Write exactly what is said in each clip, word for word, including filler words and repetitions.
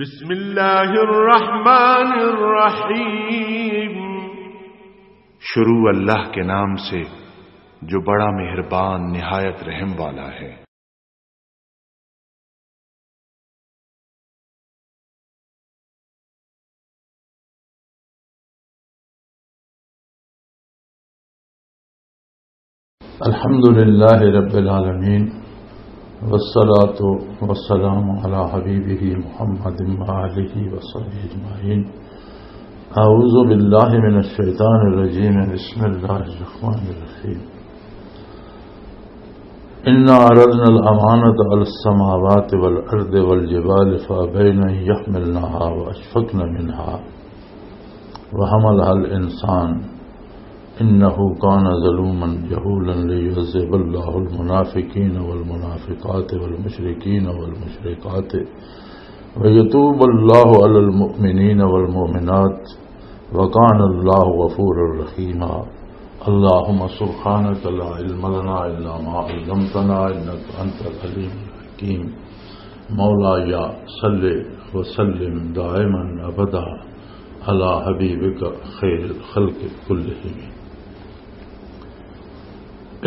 بسم اللہ الرحمن الرحیم۔ شروع اللہ کے نام سے جو بڑا مہربان نہایت رحم والا ہے۔ الحمد لله رب العالمين، والصلاة والسلام على حبيبه محمد وآله وصحبه أجمعين. أعوذ بالله من الشيطان الرجيم. بسم الله الرحمن الرحيم. إنا عرضنا الأمانة على السماوات والأرض والجبال فأبين أن يحملنها وأشفقن منها وحملها الإنسان إنه كان ظلوما جهولا ليعذب الله المنافقين والمنافقات والمشركين والمشركات ويتوب الله على المؤمنين والمؤمنات وكان الله غفورا رحيما. اللهم سبحانك لا علم لنا إلا ما علمتنا إنك أنت العليم الحكيم. مولاي صل وسلم دائما أبدا على حبيبك خير الخلق كلهم.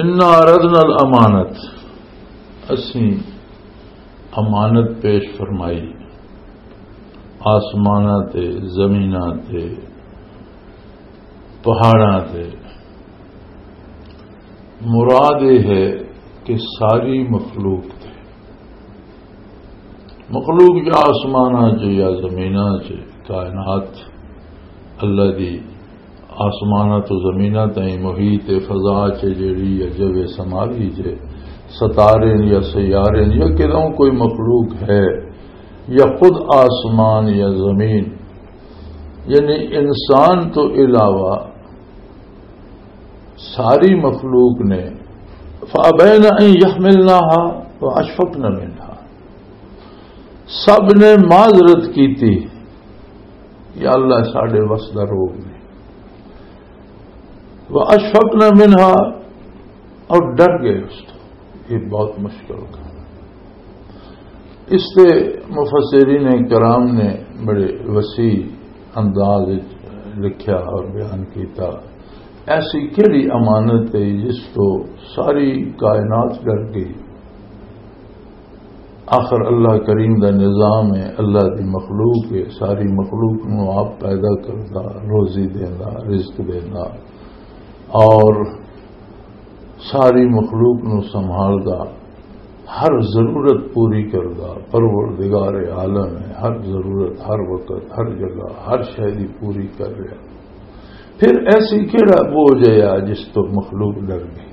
إنا عرضنا الأمانة، اسیں امانت پیش فرمائی، آسماناں تے، زمیناں تے، پہاڑاں تے۔ مراد یہ ہے کہ ساری مخلوق تے، مخلوق یا آسماناں چ یا زمیناں چ، کائنات اللہ دی، آسماناں تو زمیناں تائیں محیط فضا چ جیڑی یا جو سماوی چ ستارے یا سیارے یا کدوں کوئی مخلوق ہے یا خود آسمان یا زمین، یعنی انسان تو علاوہ ساری مخلوق نے، فَأَبَيْنَ أَن يَحْمِلْنَهَا وَأَشْفَقْنَ مِنْهَا، سب نے معذرت کی تھی، یا اللہ ساڈے وس دا روگ نہیں، وَأَشْفَقْنَ مِنْهَا، اور ڈر گئے اس تو۔ یہ بہت مشکل کام ہے۔ اس تے مفسرین کرام نے بڑے وسیع انداز وچ لکھیا اور بیان کیتا۔ ایسی کیڑی امانت ہے جس تو ساری کائنات ڈر گئی؟ آخر اللہ کریم دا نظام ہے، اللہ دی مخلوق ہے، ساری مخلوق نو آپ پیدا کردا، روزی دیندا، رزق دیندا، اور ساری مخلوق نو سنبھالدا، ہر ضرورت پوری کردا، پروردگار عالم ہے، ہر ضرورت، ہر وقت، ہر جگہ، ہر شے دی پوری کر رہا۔ پھر ایسی کیڑا بوجھ ہے جس تو مخلوق ڈر گئی؟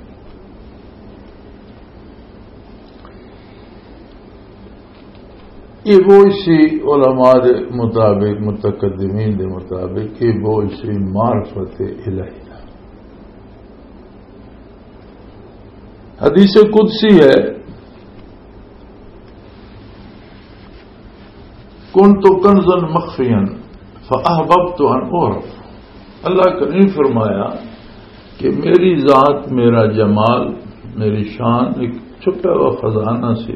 یہ بوجھ سی، علماء دے مطابق، متقدمین دے مطابق، یہ بوجھ سی معرفت الہی دا۔ حدیث قدسی ہے، "كنت كنزا مخفيا فأحببت أن أعرف۔" اللہ کریم فرمایا کہ میری ذات، میرا جمال، میری شان ایک چھپا ہوا خزانہ سی۔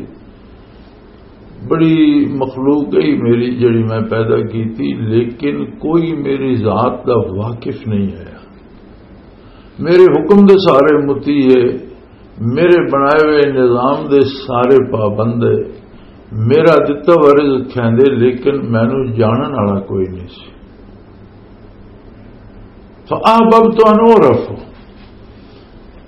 بڑی مخلوق ہے میری جڑی میں پیدا کی تھی، لیکن کوئی میری ذات دا واقف نہیں آیا۔ میرے حکم دے سارے مطیع ہے، میرے بنائے ہوئے نظام دے سارے پابند ہے، میرا دتا ہوا رزق کھیندے، لیکن مینوں جانن والا کوئی نہیں سی۔ فَأَحْبَبْتُ أَنْ أُعْرَفَ،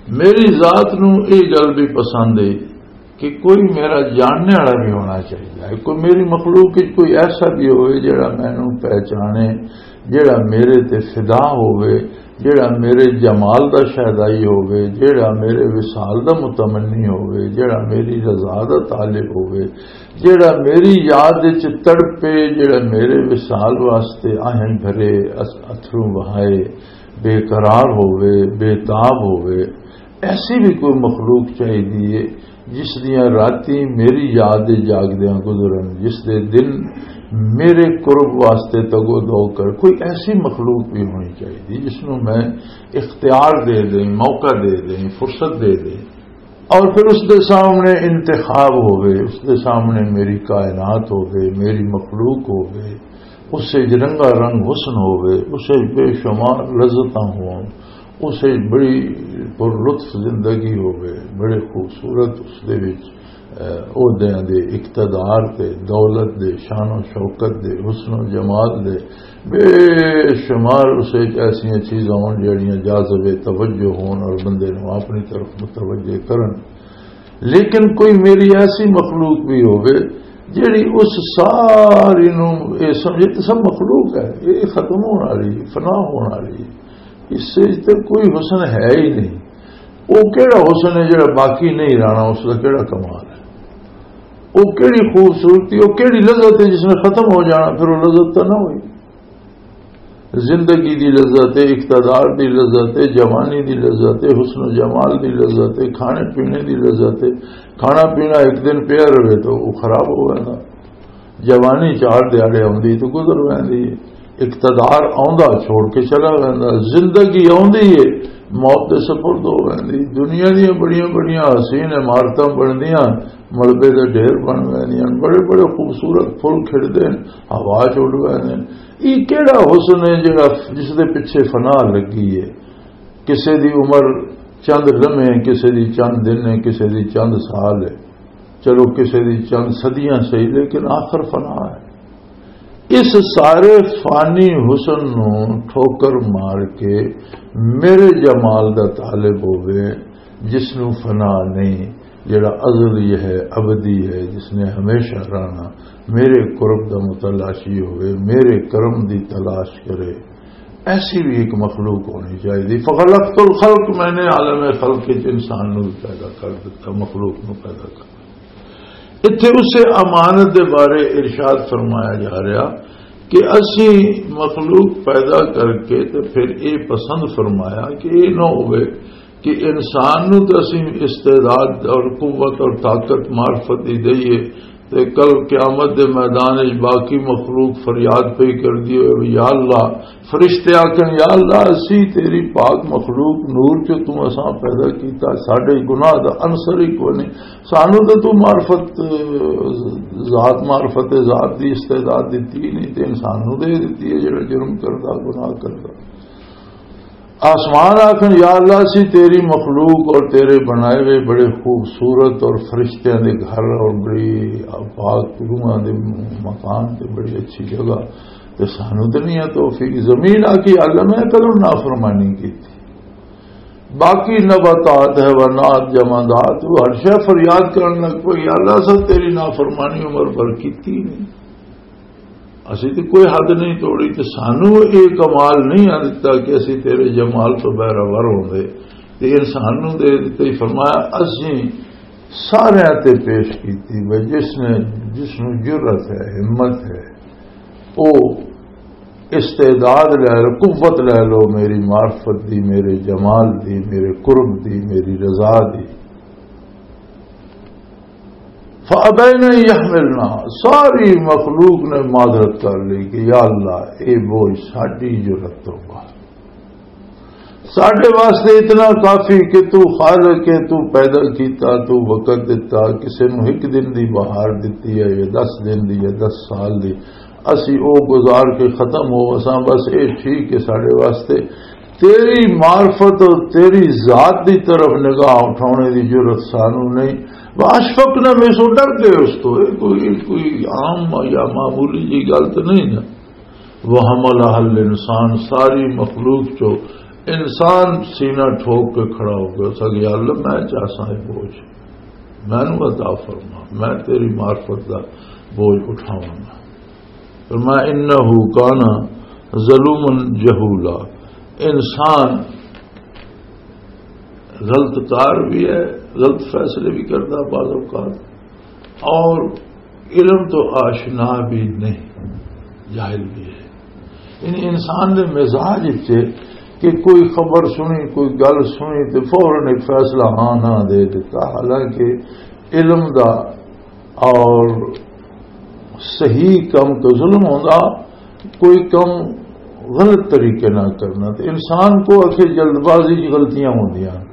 میری ذات نو یہ گل بھی پسند ہے کہ کوئی میرا جاننے والا بھی ہونا چاہیے، کوئی میری مخلوق وچ کوئی ایسا بھی ہوئے جڑا مینوں پہچانے، جڑا میرے تے فدا ہوئے، جڑا میرے جمال دا شیدائی ہوئے، جڑا میرے وصال دا متمنی ہوئے، جڑا میری رضا دا طالب ہوئے، جڑا میری یاد وچ تڑپے، جڑا میرے وصال واسطے آہیں بھرے، اس-، اتھروں وہائے، بے قرار ہوئے، بے تاب ہوئے۔ ایسی بھی کوئی مخلوق چاہیے ہے جس دیاں راتیں میری یاد دے جاگدیاں گزرن، جس دے دن میرے قرب واسطے تگو دو کر۔ کوئی ایسی مخلوق بھی ہونی چاہیے جس نوں میں اختیار دے دیں، موقع دے دیں، فرصت دے دیں۔ اور پھر اس دے سامنے انتخاب ہوئے، اس دے سامنے میری کائنات ہوئے، میری مخلوق ہوئے، اس سے رنگا رنگ حسن ہوئے، اس سے بے شمار لذتاں ہون، اس سے بڑی پر لطف زندگی ہوئے، بڑے خوبصورت اس دے وچ، اہ، عہدیاں دے، اقتدار تے، دولت دے، شان و شوکت دے، حسن و جمال دے، بے شمار اس وچ ایسیاں چیزاں ہون جڑیاں جاذب توجہ ہون اور بندے نوں اپنی طرف متوجہ کرن۔ لیکن کوئی میری ایسی مخلوق بھی ہووے جڑی اس ساری نوں اے سمجھے کہ سب مخلوق ہے، اے ختم ہون والی، فنا ہون والی، اس وچ تے کوئی حسن ہے ہی نہیں۔ وہ کیڑا حسن ہے جڑا باقی نہیں رہنا، اس کا کیڑا کمال ہے؟ وہ کیڑی خوبصورتی، وہ کیڑی لذت ہے جس نے ختم ہو جانا؟ پھر وہ لذت تو نہ ہوئی۔ زندگی دی لذت ہے، اقتدار دی لذت ہے، جوانی دی لذت ہے، حسن و جمال دی لذت ہے، کھانے پینے دی لذت ہے۔ کھانا پینا ایک دن پیا رہے تو وہ خراب ہو جاتا۔ جوانی چار دیہاڑے آندی تو گزر ویندی ہے۔ اقتدار آندا چھوڑ کے چلا ویندا۔ زندگی آندی ہے، موت دے سپرد ہو ویندی۔ دنیا دیاں بڑیاں بڑیاں حسین عمارتاں بندیاں، ملبے دے ڈھیر بن ویندیاں، بڑے بڑے خوبصورت پھول کھڑدے ہیں، ہوا چ اڈ ویندے ہیں۔ یہ کیڑا حسن ہے جڑا، جس دے پیچھے فنا لگی ہے؟ کسے دی عمر چند لمحے، کسے دی چند دن ہے، کسے دی چند سال ہے، چلو کسے دی چند صدیاں صحیح، لیکن آخر فنا ہے۔ اس سارے فانی حسن نو ٹھوکر مار کے میرے جمال دا طالب ہووے، جس نو فنا نہیں، جڑا ازلی ہے، ابدی ہے، جس نے ہمیشہ رہنا، میرے قرب دا متلاشی ہوئے، میرے کرم دی تلاش کرے، ایسی بھی ایک مخلوق ہونی چاہیے۔ فخلقت الخلق، میں نے عالم خلق وچ انسان نو بھی پیدا کر دیتا، مخلوق نو پیدا کر دیتا۔ اتھے اسے امانت دے بارے ارشاد فرمایا جا رہا کہ اسی مخلوق پیدا کر کے تے پھر یہ پسند فرمایا کہ یہ نہ ہوئے کہ انسان نو تے اسی استعداد اور قوت اور طاقت معرفت دی دئیے تے کل قیامت دے میدان وچ باقی مخلوق فریاد پئی کردی ہوئے، "یا اللہ۔" فرشتے آکھن، "یا اللہ، اسی تیری پاک مخلوق نور چوں توں اساں پیدا کیتا، ساڈے گناہ دا عنصر ہی کوئی نہیں، سانو تے تو معرفت، ذات، معرفت ذات دی استعداد دتی ہی نہیں، تے انسان نو دے دتی ہے جڑا جرم کردا، گناہ کردا۔" آسمان آکھن، "یا اللہ، اسی تیری مخلوق اور تیرے بنائے ہوئے بڑے خوبصورت اور فرشتیاں دے گھر اور بڑی پاک روحاں دے مکان تے بڑی اچھی جگہ، تے سانو تے نہیں ہے توفیق۔" زمین آکھی، "یا اللہ، میں کدوں نافرمانی کیتی؟" باقی نباتات، حیوانات، جمادات، وہ ہر شے فریاد کرن لگ پئی، "یا اللہ، اساں تیری نافرمانی عمر بھر کیتی نہیں۔" اسی تے کوئی حد نہیں توڑی، تے سانو یہ کمال نہیں آ دتا کہ اسی تیرے جمال تو بہرہ ور ہوندے۔ تے انسان نو دے دتے۔ فرمایا، اسی سارے تے پیش کیتی، بھئی جس نے، جس نو جرأت ہے، ہمت ہے، او استعداد لے لو، قوت لے لو، میری معرفت دی، میرے جمال دی، میرے قرب دی، میری رضا دی۔ فَأَبَيْنَ أَنْ يَحْمِلْنَهَا، ساری مخلوق نے معذرت کر لی کہ یا اللہ، اے بوجھ ساڈی جرأت تو باہر، ساڈے واسطے اتنا کافی کہ تو خالق ہے، تو پیدا کیتا، تو وقت دتا، کسے نو ایک دن دی بہار دتی ہے یا دس دن دی یا دس سال دی، اسی او گزار کے ختم ہو، اساں بس اے ٹھیک ہے ساڈے واسطے۔ تیری معرفت اور تیری ذات دی طرف نگاہ اٹھانے دی جرأت سانو نہیں۔ وَأَشْفَقْنَ مِنْهُ، سو ڈر گئے اس تو۔ اے کوئی، کوئی عام یا معمولی جی گل تو نہیں نا۔ وَحَمَلَهَا الْإِنْسَانُ، ساری مخلوق چو انسان سینہ ٹھوک کے کھڑا ہو گیا۔ اس آکھیا، "یا اللہ، میں چاہساں اے بوجھ، مینوں عطا فرما، میں تیری معرفت دا بوجھ اٹھاواں گا۔" فرمایا، "إِنَّهُ كَانَ ظَلُومًا جَهُولًا۔" انسان غلط کار بھی ہے، غلط فیصلے بھی کرتا بعض اوقات، اور علم تو آشنا بھی نہیں، جاہل بھی ہے۔ یعنی انسان دے مزاج وچ کہ کوئی خبر سنی، کوئی گل سنی تے فوراً ایک فیصلہ ہاں نہ دے دیتا، حالانکہ علم دا اور صحیح کم تو ظلم ہوندا، کوئی کم غلط طریقے نہ کرنا۔ تے انسان کو اکھے جلد بازی چ غلطیاں ہوندیاں۔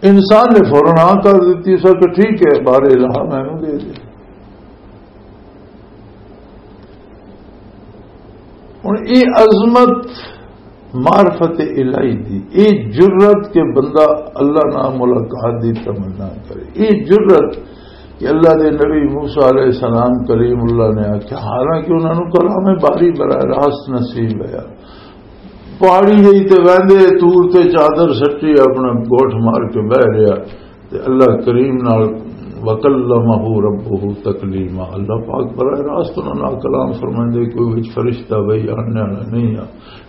انسان نے فوراً ہاں کر دیتی، اس آکھیا، "ٹھیک ہے، بار الہ مینوں دے دے۔" ہن یہ عظمت معرفت الہی دی، یہ جرت کہ بندہ اللہ نال ملاقات دی تمنا کرے، یہ جرت کہ اللہ دے نبی موسیٰ علیہ السلام کلیم اللہ نے آکھیا، حالانکہ انہاں نوں کلام باری براہ راست نصیب ہے۔ پہاڑی جئی تے ویندے، طور تے چادر سٹی، اپنا گوٹھ مار کے بہ رہیا۔ تے اللہ کریم نال، "وکلمہ ربہ تکلیما"، اللہ پاک براہ راست انہاں نال کلام فرمائندے، کوئی وچ فرشتہ بھائی آنے والا نہیں آ۔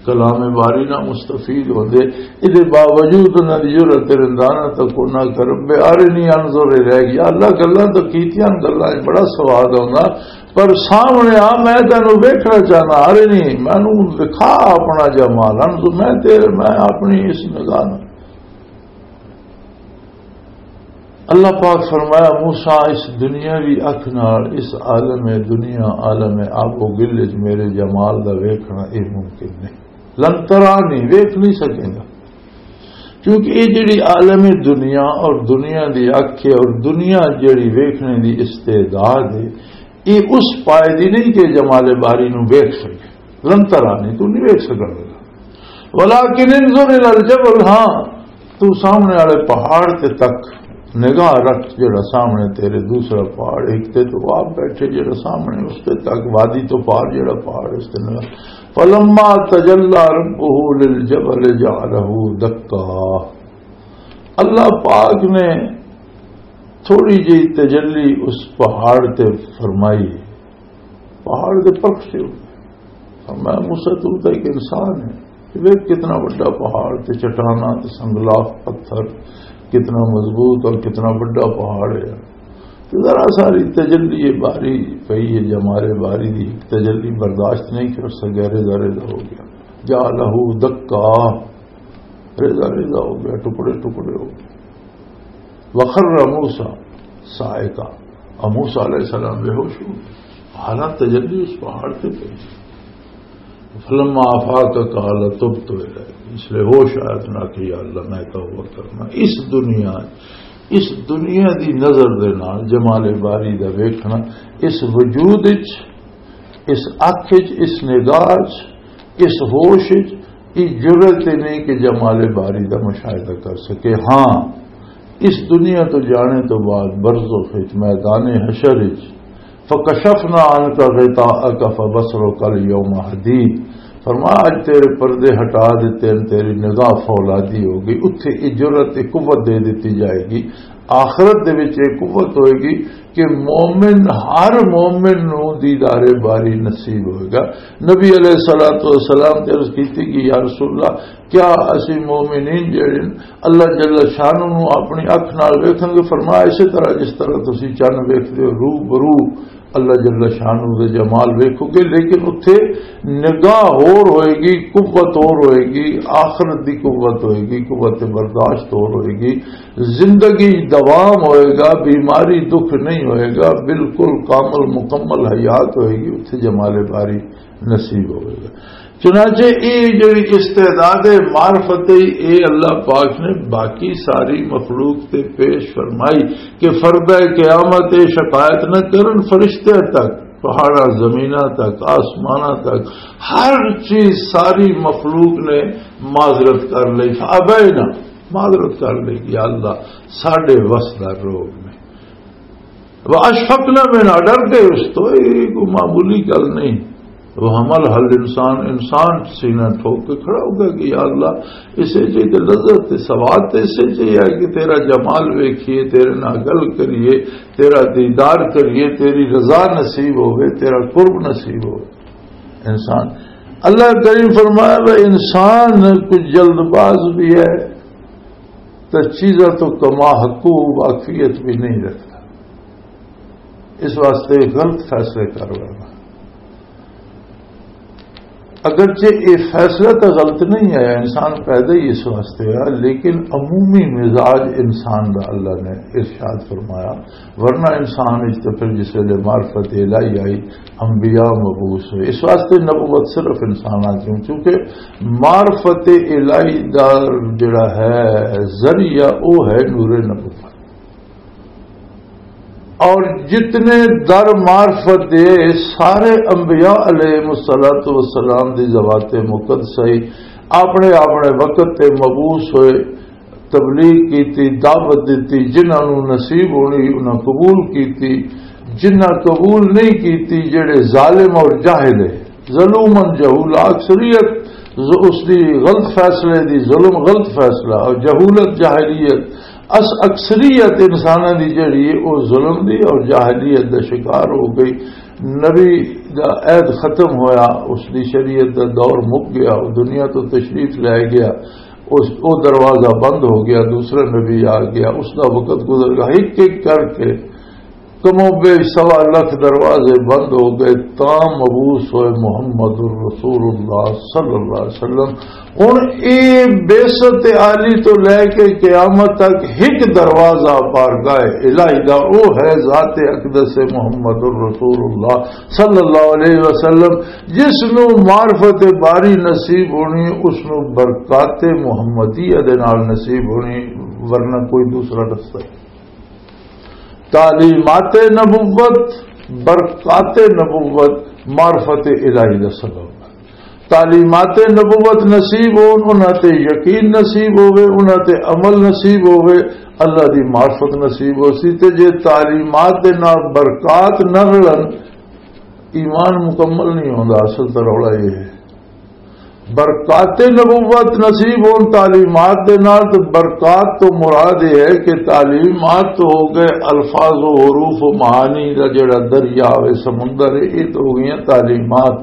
کلام باری نہ مستفید ہوندے، ادے باوجود انہاں دی جرأت رندانہ تک انہاں کر، "رب ارنی انظر الیک"، یا اللہ، گلاں تو کیتیاں، گلاں وچ بڑا سواد آوندا، پر سامنے آ، میں تینوں ویکھنا چاہنا، ارنی، مینوں دکھا اپنا جمال، انظر، میں تیرے، میں اپنی اس نگاہ نال۔ اللہ پاک فرمایا، "موسیٰ، اس دنیاوی اکھ نال اس عالم دنیا، عالم آب و گل وچ میرے جمال دا ویکھنا یہ ممکن نہیں۔ لن ترانی، ویکھ نہیں سکے گا۔" کیونکہ یہ جڑی عالم دنیا اور دنیا دی اکھ ہے اور دنیا جڑی ویکھنے دی استعداد ہے، یہ اس پائے دی نہیں کہ جمال باری نو ویکھ سکے۔ لن ترانی، تو نہیں ویکھ سکے گا۔ ولیکن انظر الی الجبل، ہاں، تو سامنے والے پہاڑ تے تک نگاہ رکھ، جڑا سامنے تیرے دوسرا پہاڑ، ایک تے تو آپ بیٹھے، جڑا سامنے اس تے تک وادی تو پار جڑا پہاڑ، اس تے نگاہ۔ فلما تجلی ربہ للجبل جعلہ دکا۔ اللہ پاک نے تھوڑی جی تجلی اس پہاڑ تے فرمائی، پہاڑ دے پرخ سے ہو گئے۔ فرمایا، "موسیٰ، تو تو ایک انسان ہے، ویکھ کتنا بڑا پہاڑ تے چٹاناں تے سنگلاخ پتھر، کتنا مضبوط اور کتنا بڑا پہاڑ ہے۔ تو ذرا ساری تجلی باری پئی ہے، جمال باری دی تجلی برداشت نہیں کر سکیا، ریزہ ریزہ ہو گیا۔" جعلہ دکا، ریزہ ریزہ ہو گیا، ٹکڑے ٹکڑے ہو گئے۔ وخر موسیٰ صاعقہ، اور موسیٰ علیہ السلام بے ہوش ہو گئے۔ حالانکہ تجلی اس پہاڑ تے پئی۔ فلما آفاق قال تبت الیک، اس لیے ہوش آیا تو نہ کہ یا اللہ، میں توبہ کرنا۔ اس دنیا، اس دنیا دی نظر دے نال جمال باری دا ویکھنا، اس وجود وچ، اس اکھ وچ، اس نگاہ وچ، اس ہوش وچ، یہ جرأت ہی نہیں کہ جمال باری دا مشاہدہ کر سکے۔ ہاں، اس دنیا تو جانے تو بعد برزخ وچ، میدان حشر وچ، فکشفنا عنک غطاءک فبصرک الیوم حدید۔ فرمایا، اج تیرے پردے ہٹا دیتے ہیں، تیری نگاہ فولادی ہو گئی۔ اتھے یہ جرأت، یہ قوت دے دیتی جائے گی۔ آخرت دے وچ یہ قوت ہوئے گی کہ مومن، ہر مومن نو دیدار باری نصیب ہوئے گا۔ نبی علیہ الصلوۃ والسلام تے عرض کیتی کہ یا رسول اللہ، کیا اسی مومنین جڑے نے، اللہ جل شانہ نو اپنی اکھ نال ویکھاں گے؟ فرمایا، اسی طرح جس طرح تسی چن ویکھدے ہو، رو برو اللہ جل شانہ دے جمال ویکھو گے، لیکن اتھے نگاہ ہور ہوئے گی، قوت ہور ہوئے گی، آخرت دی قوت ہوئے گی، قوت برداشت ہور ہوئے گی، زندگی دوام ہوئے گا، بیماری دکھ نہیں ہوئے گا، بالکل کامل مکمل حیات ہوئے گی، اتھے جمال باری نصیب ہوئے گا۔ چنانچہ یہ جڑی استعداد معرفت ہے، یہ اللہ پاک نے باقی ساری مخلوق تے پیش فرمائی کہ فرد قیامت یہ شکایت نہ کرن فرشتیاں تک، پہاڑاں زمیناں تک، آسماناں تک، ہر چیز، ساری مخلوق نے معذرت کر لی۔ فابینا، معذرت کر لی کہ یا اللہ، ساڈے وس دا روگ نے۔ وَأَشْفَقْنَ مِنْهَا، ڈر گئے اس تو، یہ کوئی معمولی گل نہیں۔ وہ حمل حل انسان، انسان سینہ ٹھوک کے کھڑا ہو گیا کہ یا اللہ، اسے چاہیے تے لذت تے سواد تے اسے چاہیے کہ تیرا جمال ویکھیے، تیرے نال گل کریے، تیرا دیدار کریے، تیری رضا نصیب ہوئے، تیرا قرب نصیب ہوئے۔ انسان، اللہ کریم فرمایا، وہ انسان کچھ جلد باز بھی ہے، تو چیزوں تو کما حقو واقفیت بھی نہیں رکھتا۔ اس واسطے غلط فیصلے کر لینا۔ اگرچہ یہ فیصلہ تو غلط نہیں آیا، انسان پیدا ہی اس واسطے ہوا، لیکن عمومی مزاج انسان دا اللہ نے ارشاد فرمایا، ورنہ انسان وچ تے پھر جس ویلے معرفت الہی آئی، انبیاء مبعوث ہوئے۔ اس واسطے نبوت صرف انساناں کیوں؟ کیونکہ معرفت الہی دا جڑا ہے ذریعہ، وہ ہے نور نبوت۔ اور جتنے در معرفت دے، سارے انبیاء علیہ الصلوۃ والسلام دی ذوات مقدسہ ہی اپنے اپنے وقت تے مبعوث ہوئے، تبلیغ کیتی، دعوت دتی، جنہاں نوں نصیب ہونی انہاں قبول کیتی، جنہاں قبول نہیں کیتی، جڑے ظالم اور جاہل ہے، ظلومن جہولا، اکثریت ز-، اس دی غلط فیصلے دی، ظلم غلط فیصلہ اور جہولت جاہلیت، اس اکثریت انساناں دی جڑی ہے، او ظلم دی اور جاہلیت دا شکار ہو گئی۔ نبی دا عہد ختم ہویا، اس دی شریعت دا دور مک گیا، او دنیا تو تشریف لے گیا، اس، او دروازہ بند ہو گیا، دوسرا نبی آ گیا، اس دا وقت گزر گیا۔ ایک ایک کر کے کم و بیش سوا لکھ دروازے بند ہو گئے، تاں مبعوث ہوئے محمد الرسول اللہ صلی اللہ علیہ وسلم۔ ہن اے بعثت عالی تو لے کے قیامت تک ایک دروازہ بارگاہ الہی دا، او ہے ذات اقدس محمد الرسول اللہ صلی اللہ علیہ وسلم، جس نو معرفت باری نصیب ہونی، اس نو برکات محمدیہ دے نال نصیب ہونی، ورنہ کوئی دوسرا رستہ نہیں۔ تعلیمات نبوت، برکات نبوت، معرفت الہی دا سبب ہے۔ تعلیمات نبوت نصیب ہون، انہاں تے یقین نصیب ہوے، انہاں تے عمل نصیب ہوے، اللہ دی معرفت نصیب ہو سی۔ تے جے تعلیمات دے نال برکات نہ رلن، ایمان مکمل نہیں ہوندا۔ اصل تے رولا یہ ہے۔ برکات نبوت نصیب ہون تعلیمات دے نال، تے برکات تو مراد یہ ہے کہ تعلیمات تو ہو گئے الفاظ و حروف و معانی دا جڑا دریا ہوئے، سمندر ہے، یہ تو ہو گئیاں تعلیمات۔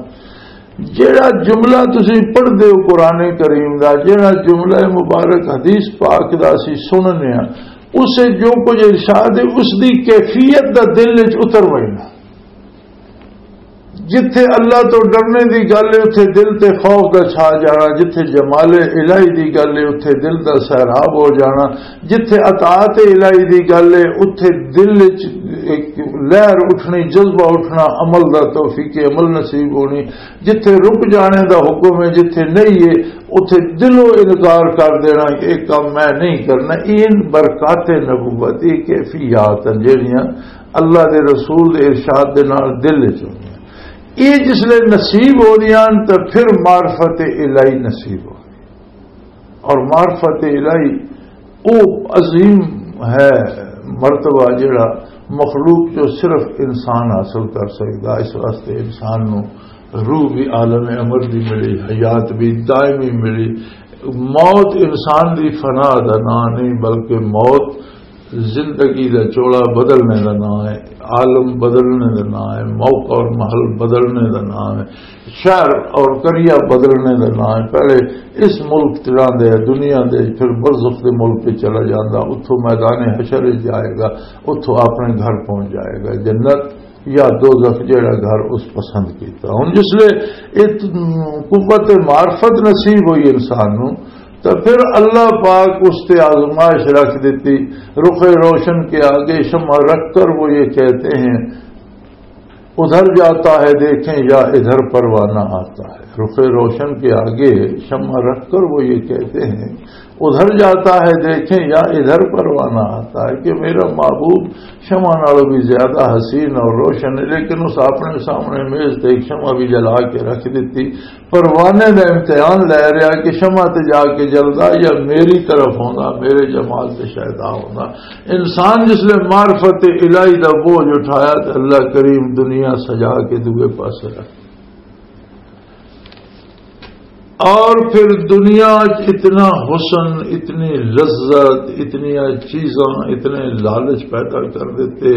جڑا جملہ تسی پڑھ دے ہو قرآن کریم دا، جڑا جملہ مبارک حدیث پاک دا اسی سننے ہاں، اسے جو کچھ ارشاد ہے، اس دی کیفیت دا دل وچ اتر وینا۔ جتھے اللہ تو ڈرنے دی گل ہے، اتھے دل تے خوف دا چھا جانا۔ جتھے جمال الہی دی گل ہے، اتھے دل دا سیراب ہو جانا۔ جتھے اطاعت الہی دی گل ہے، اتھے دل وچ ایک لہر اٹھنی، جذبہ اٹھنا، عمل دا، توفیق عمل نصیب ہونی۔ جتھے رک جانے دا حکم ہے، جتھے نہیں ہے، اتھے دلوں انکار کر دینا کہ یہ کام میں نہیں کرنا۔ یہ برکات نبوت، یہ کیفیات ہیں جڑیاں اللہ دے رسول دے ارشاد دے نال دل وچ ہوندیاں۔ یہ جس لے نصیب ہو دیاں تو پھر معرفت الہی نصیب ہو۔ اور معرفت الہی او عظیم ہے مرتبہ، جڑا مخلوق جو صرف انسان حاصل کر سکدا۔ اس واسطے انسان نو روح بھی عالم امر دی ملی، حیات بھی دائمی ملی۔ موت انسان دی فنا دا نام نہیں، بلکہ موت زندگی دا چولا بدلنے دا نام ہے، عالم بدلنے دا نام ہے، موقع اور محل بدلنے دا نام ہے، شہر اور قریہ بدلنے دا نام ہے۔ پہلے اس ملک چ رہندے، دنیا دے، پھر برزخ دے ملک پہ چلا جاندا، اتھوں میدان حشر وچ جائے گا، اتھوں اپنے گھر پہنچ جائے گا، جنت یا دوزخ، جیڑا گھر اس پسند کیتا۔ ہن جس لے ایک قوت معرفت نصیب ہوئی انسان نو، تو پھر اللہ پاک اس تے آزمائش رکھ دیتی۔ رخ روشن کے آگے شمع رکھ کر وہ یہ کہتے ہیں، ادھر جاتا ہے دیکھیں یا ادھر پروانہ آتا ہے۔ رخ روشن کے آگے شمع رکھ کر وہ یہ کہتے ہیں، ادھر جاتا ہے دیکھیں یا ادھر پروانہ آتا ہے، کہ میرا محبوب شمع نالوں بھی زیادہ حسین اور روشن ہے، لیکن اس اپنے سامنے میز تے ایک شمع بھی جلا کے رکھ دیتی۔ پروانے دا امتحان لے رہا کہ شمع تے جا کے جلدا یا میری طرف ہوندا، میرے جمال تے شاید آ ہوندا۔ انسان جس لے معرفت الہی دا بوجھ اٹھایا تے اللہ کریم دنیا سجا کے دوے پاسے رکھ۔ اور پھر دنیا چ اتنا حسن، اتنی لذت، اتنی چیزاں، اتنے لالچ پیدا کر دیتے،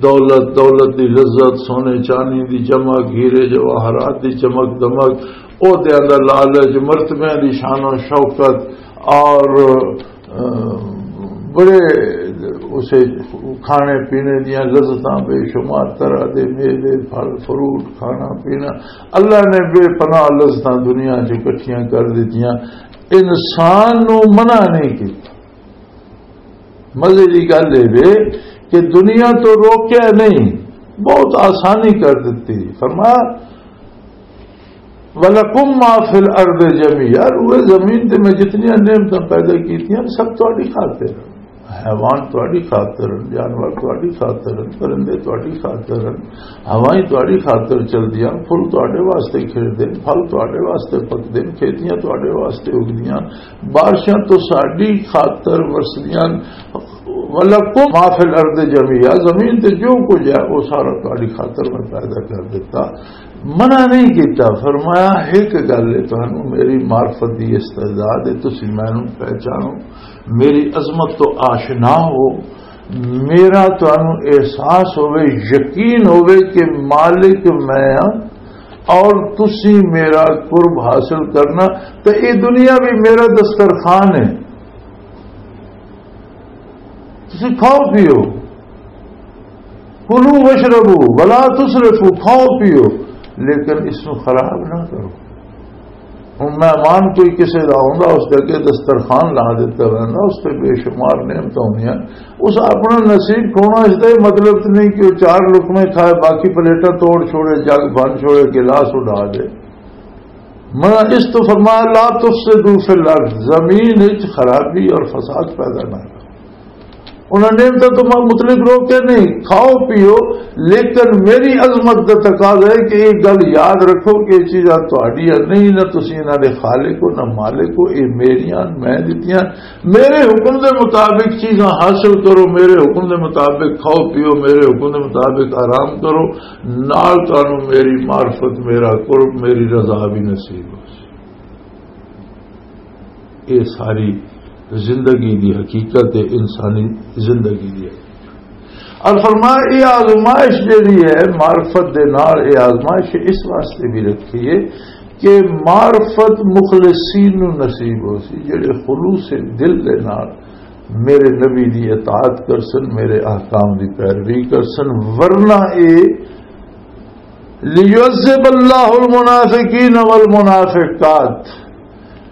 دولت، دولت دی لذت، سونے چاندی دی چمک، ہیرے جواہرات دی چمک دمک، عہدیاں دا لالچ، مرتبیاں دی شان و شوکت، اور، آ، بڑے اسے کھانے پینے دیاں لذتاں، بے شمار طرح دے میوے، پھل، فروٹ، کھانا پینا، اللہ نے بے پناہ لذتاں دنیا چ اکٹھیاں کر دتیاں۔ انسان نو منع نہیں کیتا۔ مزے دی گل اے وے کہ دنیا تو روکیا نہیں، بہت آسانی کر دتی۔ فرمایا، "وَلَكُمْ مَا فِي الْأَرْضِ جَمِيعًا"، وہ زمین تے میں جتنی نعمتاں پیدا کیتیاں، سب تہاڈی خاطر۔ حیوان تہاڈی خاطر، جانور تہاڈی خاطر، پرندے تہاڈی خاطر، ہوائیں تہاڈی خاطر چلدیاں، پھل تہاڈے واسطے کھڑدے، پھل تہاڈے واسطے پکدے، کھیتیاں تہاڈے واسطے اگدیاں، بارشاں تو ساڈی خاطر وسدیاں۔ وَلَكُمْ مَا فِي الْأَرْضِ جَمِيعًا، زمین تے جو کچھ ہے، وہ سارا تہاڈی خاطر میں پیدا کر دیتا۔ منع نہیں کیتا، فرمایا، "ایک گل ہے، تانوں میری معرفت دی استعداد ہے، تسی مینوں پہچانو، میری عظمت تو آشنا ہو، میرا تانوں احساس ہوے، یقین ہوے کہ مالک میں ہاں اور تسی میرا قرب حاصل کرنا، تے اے دنیا بھی میرا دسترخوان ہے، تسی کھاؤ پیو۔" کلو وشربو ولا تسرفو، کھاؤ پیو، لیکن اس نو خراب نہ کرو۔ ہن مہمان کوئی کسے دا آوندا، اس دے اگے دسترخوان لا دتا ویندا، اس تے بے شمار نعمتاں ہوندیاں۔ اس اپنا نصیب کھونا، اس دا یہ مطلب تے نہیں کہ وہ چار لقمے کھائے، باقی پلیٹاں توڑ چھوڑے، جگ بھن چھوڑے، گلاس اڈا دے۔ میں اس تو فرمایا، "لا تفسدوا فی الارض"، زمین وچ خرابی اور فساد پیدا نہ کرو۔ انہاں نے تو تم مطلق روکے نہیں، کھاؤ پیو، لیکن میری عظمت دا تقاضا ہے کہ یہ گل یاد رکھو کہ یہ چیزاں تہاڈیاں نہیں، نہ تسی انہاں دے خالق ہو، نہ مالک ہو، یہ میریاں، میں دتیاں۔ میرے حکم دے مطابق چیزاں حاصل کرو، میرے حکم دے مطابق کھاؤ پیو، میرے حکم دے مطابق آرام کرو، نال تانوں میری معرفت، میرا قرب، میری رضا بھی نصیب ہو۔ یہ ساری زندگی دی حقیقت ہے، انسانی زندگی دی حقیقت۔ اور فرمایا، یہ آزمائش جڑی ہے معرفت دے نال، یہ آزمائش اس واسطے بھی رکھی ہے کہ معرفت مخلصین نو نصیب ہو سی، جڑے خلوص دل دے نال میرے نبی دی اطاعت کرسن، میرے احکام دی پیروی کرسن، ورنہ اے لیعذب اللہ المنافقین والمنافقات،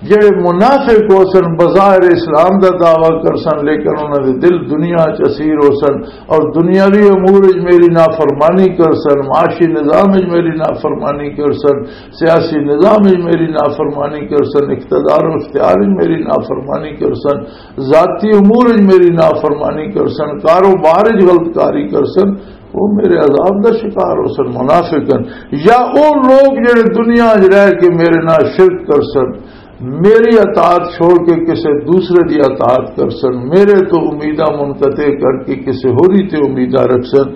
جڑے منافق ہو سن، بظاہر اسلام دا دعویٰ کر سن، لیکن انہاں دے دل دنیا چ اسیر ہو سن، اور دنیاوی امور وچ میری نافرمانی کر سن، معاشی نظام وچ میری نافرمانی کر سن، سیاسی نظام وچ میری نافرمانی کر سن، اقتدار و اختیار وچ میری نافرمانی کر سن، ذاتی امور وچ میری نافرمانی کر سن، کاروبار وچ غلط کاری کر سن، وہ میرے عذاب دا شکار ہو سن، منافق ہن۔ یا او لوگ جڑے دنیا وچ رہ کے میرے نال شرک کر سن، میری اطاعت چھوڑ کے کسے دوسرے دی اطاعت کر سن، میرے تو امیداں منقطع کر کے کسے ہوری تے امیداں رکھ سن،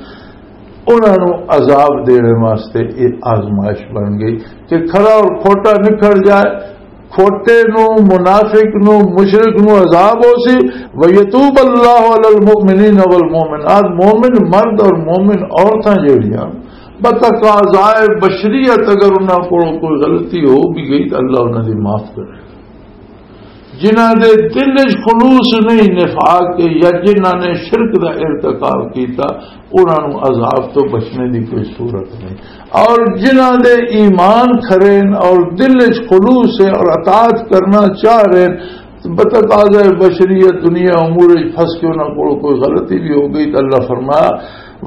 انہاں نوں عذاب دینے واسطے یہ آزمائش بن گئی کہ کھرا اور کھوٹا نکھڑ جائے، کھوٹے نو، منافق نو، مشرک نو عذاب ہو سی۔ وَيَتُوبَ اللَّهُ عَلَى الْمُؤْمِنِينَ وَالْمُؤْمِنَاتِ، مومن مرد اور مومن عورتاں جڑیاں بتقاضائے بشریت، اگر انہاں کول کوئی غلطی ہو بھی گئی تو اللہ انہاں دی معاف کرے۔ جنہاں دے دل وچ خلوص نہیں، نفاق، یا جنہاں نے شرک دا ارتکاب کیتا، انہاں نوں عذاب تو بچنے دی کوئی صورت نہیں۔ اور جنہاں دے ایمان کھرے ہیں اور دل وچ خلوص ہے اور اطاعت کرنا چاہ رہے ہیں، بتقاضائے بشریت دنیا امور وچ پھنس کے انہاں کول کوئی غلطی بھی ہو گئی تو اللہ فرمایا،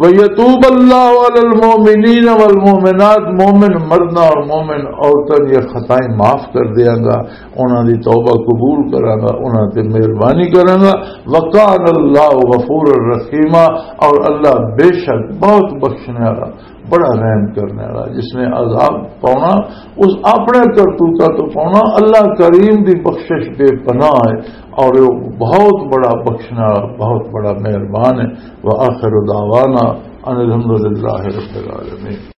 وَيَتُوبَ اللَّهُ عَلَى الْمُؤْمِنِينَ وَالْمُؤْمِنَاتِ، مومن مرداں اور مومن عورتاں دی خطائیں معاف کر دیاں گا، انہاں دی توبہ قبول کراں گا، انہاں تے مہربانی کراں گا۔ وَكَانَ اللَّهُ غَفُورًا رَحِيمًا، اور اللہ بے شک بہت بخشنے والا، بڑا رحم کرنے والا۔ جس نے عذاب پاؤنا، اس اپنے کرتوتاں تو پاؤنا۔ اللہ کریم دی بخشش بے پناہ ہے اور وہ بہت بڑا بخشنے والا، بہت بڑا مہربان ہے۔ وآخر دعوانا ان الحمد للہ رب العالمین۔